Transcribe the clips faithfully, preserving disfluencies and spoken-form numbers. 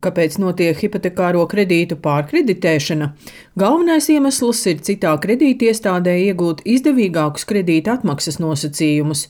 Kāpēc notiek hipotekāro kredītu pārkreditēšana? Galvenais iemesls ir citā kredītiestādē iegūt izdevīgākus kredīta atmaksas nosacījumus.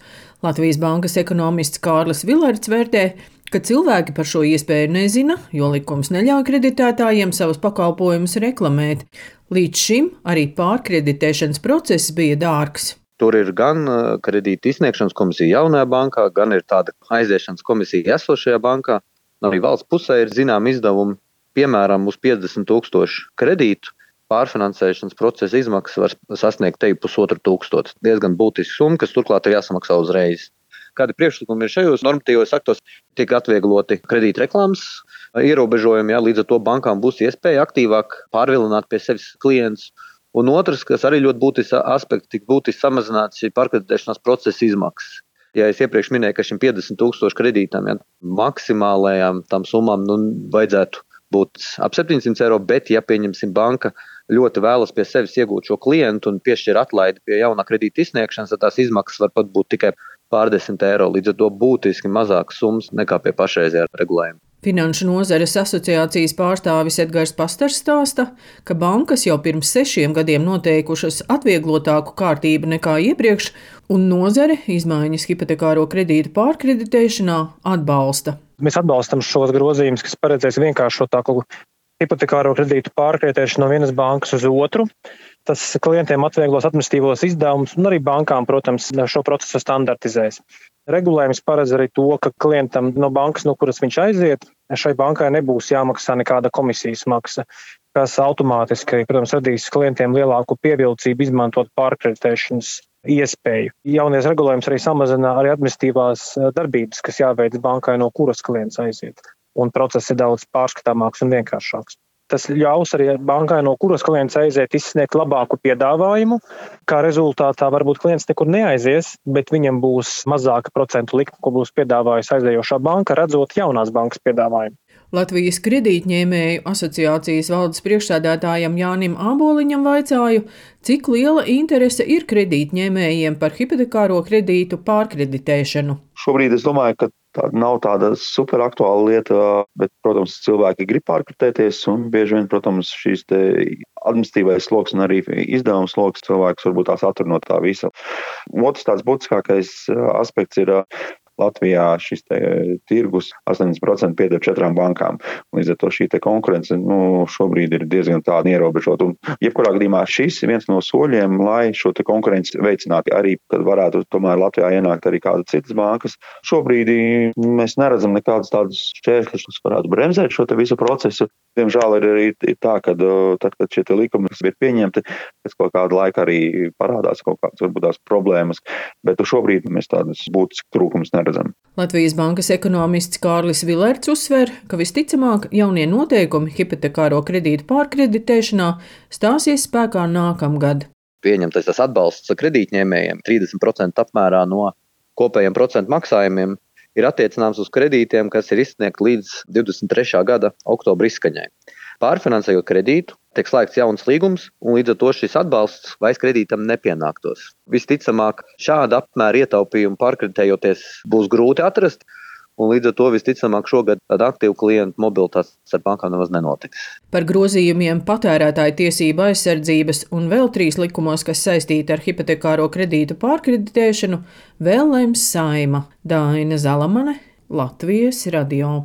Latvijas Bankas ekonomists Kārlis Vilerts vērtē, ka cilvēki par šo iespēju nezina, jo likums neļauj kreditētājiem savus pakalpojumus reklamēt. Līdz šim arī pārkreditēšanas process bija dārgs. Tur ir gan kredīta izsniegšanas komisija jaunajā bankā, gan ir tāda aiziešanas komisija esošajā bankā. Arī valsts pusē ir zinām izdevumi, piemēram, uz piecdesmit tūkstošu kredītu pārfinansēšanas procesa izmaksas var sasniegt te pusotru tūkstotu. Diezgan būtiski summa, kas turklāt ir jāsamaksā uzreiz. Kādi priekšlikumi ir šajos normatīvos aktos? Tiek atviegloti kredīta reklāmas ierobežojumi, ja, līdz ar to bankām būs iespēja aktīvāk pārvilināt pie sevis klientus. Un otrs, kas arī ļoti būtisks aspekts, tik būtiski samazināt šī pārkreditēšanās procesa izmaksas. Ja es iepriekš minēju, ka šim piecdesmit tūkstošu kredītam, ja, maksimālajām tam summām nu, vajadzētu būt ap septiņsimt eiro, bet, ja pieņemsim banka ļoti vēlas pie sevis iegūt šo klientu un piešķir atlaidi pie jaunā kredīta izsniegšanas, tad tās izmaksas var pat būt tikai pārdesmit eiro, līdz ar to būtiski mazākas summas nekā pie pašreizējā regulējuma. Finanšu nozares asociācijas pārstāvis Edgars Pastars stāsta, ka bankas jau pirms sešiem gadiem noteikušas atvieglotāku kārtību nekā iepriekš, un nozare izmaiņas hipotekāro kredītu pārkreditēšanā atbalsta. Mēs atbalstam šos grozījumus, kas paredzēs vienkāršotāku hipotekāro kredītu pārkreditēšanu no vienas bankas uz otru. Tas klientiem atvieglos administratīvos izdevumus un arī bankām, protams, šo procesu standartizēs. Regulējums paredz arī to, ka klientam no bankas, no kuras viņš aiziet, šai bankai nebūs jāmaksā nekāda komisijas maksa, kas automātiski, protams, radīs klientiem lielāku pievilcību izmantot pārkreditēšanas iespēju. Jaunies regulējums arī samazina arī administratīvās darbības, kas jāveic bankai, no kuras klients aiziet. Un process ir daudz pārskatāmāks un vienkāršāks. Tas ļaus arī bankai, no kuras klients aiziet, izsniegt labāku piedāvājumu. Kā rezultātā varbūt klients nekur neaizies, bet viņam būs mazāka procentu likme, ko būs piedāvājusi aizējošā banka, redzot jaunās bankas piedāvājumu. Latvijas kredītņēmēju asociācijas valdes priekšsēdētājam Jānim Āboliņam vaicāju, cik liela interese ir kredītņēmējiem par hipotekāro kredītu pārkreditēšanu. Šobrīd es domāju, ka tā nav tāda super aktuāla lieta, bet, protams, cilvēki grib pārkreditēties un bieži vien, protams, šīs te administratīvais sloks un arī izdevums sloks cilvēks varbūt tās attur no tā visa. Otrs tāds būtiskākais aspekts ir Latvijā šis te tirgus astoņdesmit procenti pieder četrām bankām. Līdz ar to šī te konkurence nu, šobrīd ir diezgan tāda ierobežota. Un jebkurā gadījumā šis ir viens no soļiem, lai šo te konkurenci veicinātu. Arī, kad varētu tomēr Latvijā ienākt arī kādas citas bankas. Šobrīd mēs neredzam nekādas tādas šķēršļus, kas varētu bremzēt šo te visu procesu. Diemžēl ir arī tā, ka tad, kad šie te likumi ir pieņemti, pēc kaut kāda laika arī parādās kaut kādas varbūt tās problēmas, bet šobrīd mēs tādas būtiskas trūkumus neredzam. Latvijas Bankas ekonomists Kārlis Vilerts uzsver, ka visticamāk jaunie noteikumi hipotekāro kredītu pārkreditēšanā stāsies spēkā nākamgad. Pieņemtais tas atbalsts kredītņēmējiem trīsdesmit procenti apmērā no kopējiem procentu maksājumiem ir attiecināms uz kredītiem, kas ir izsniegti līdz divdesmit trešā gada oktobra izskaņai. Pārfinansējot kredītu, tiek slēgts jauns līgums, un līdz ar to šis atbalsts vairs kredītam nepienāktos. Visticamāk, šāda apmēra ietaupījumu pārkreditējoties būs grūti atrast, un līdz ar to visticamāk šogad tāda aktīva klientu mobilitātes ar bankām nemaz nenotiks. Par grozījumiem patērētāju tiesību aizsardzības un vēl trīs likumos, kas saistīti ar hipotekāro kredītu pārkreditēšanu, vēl lems Saeima. Daina Zalamane, Latvijas radio.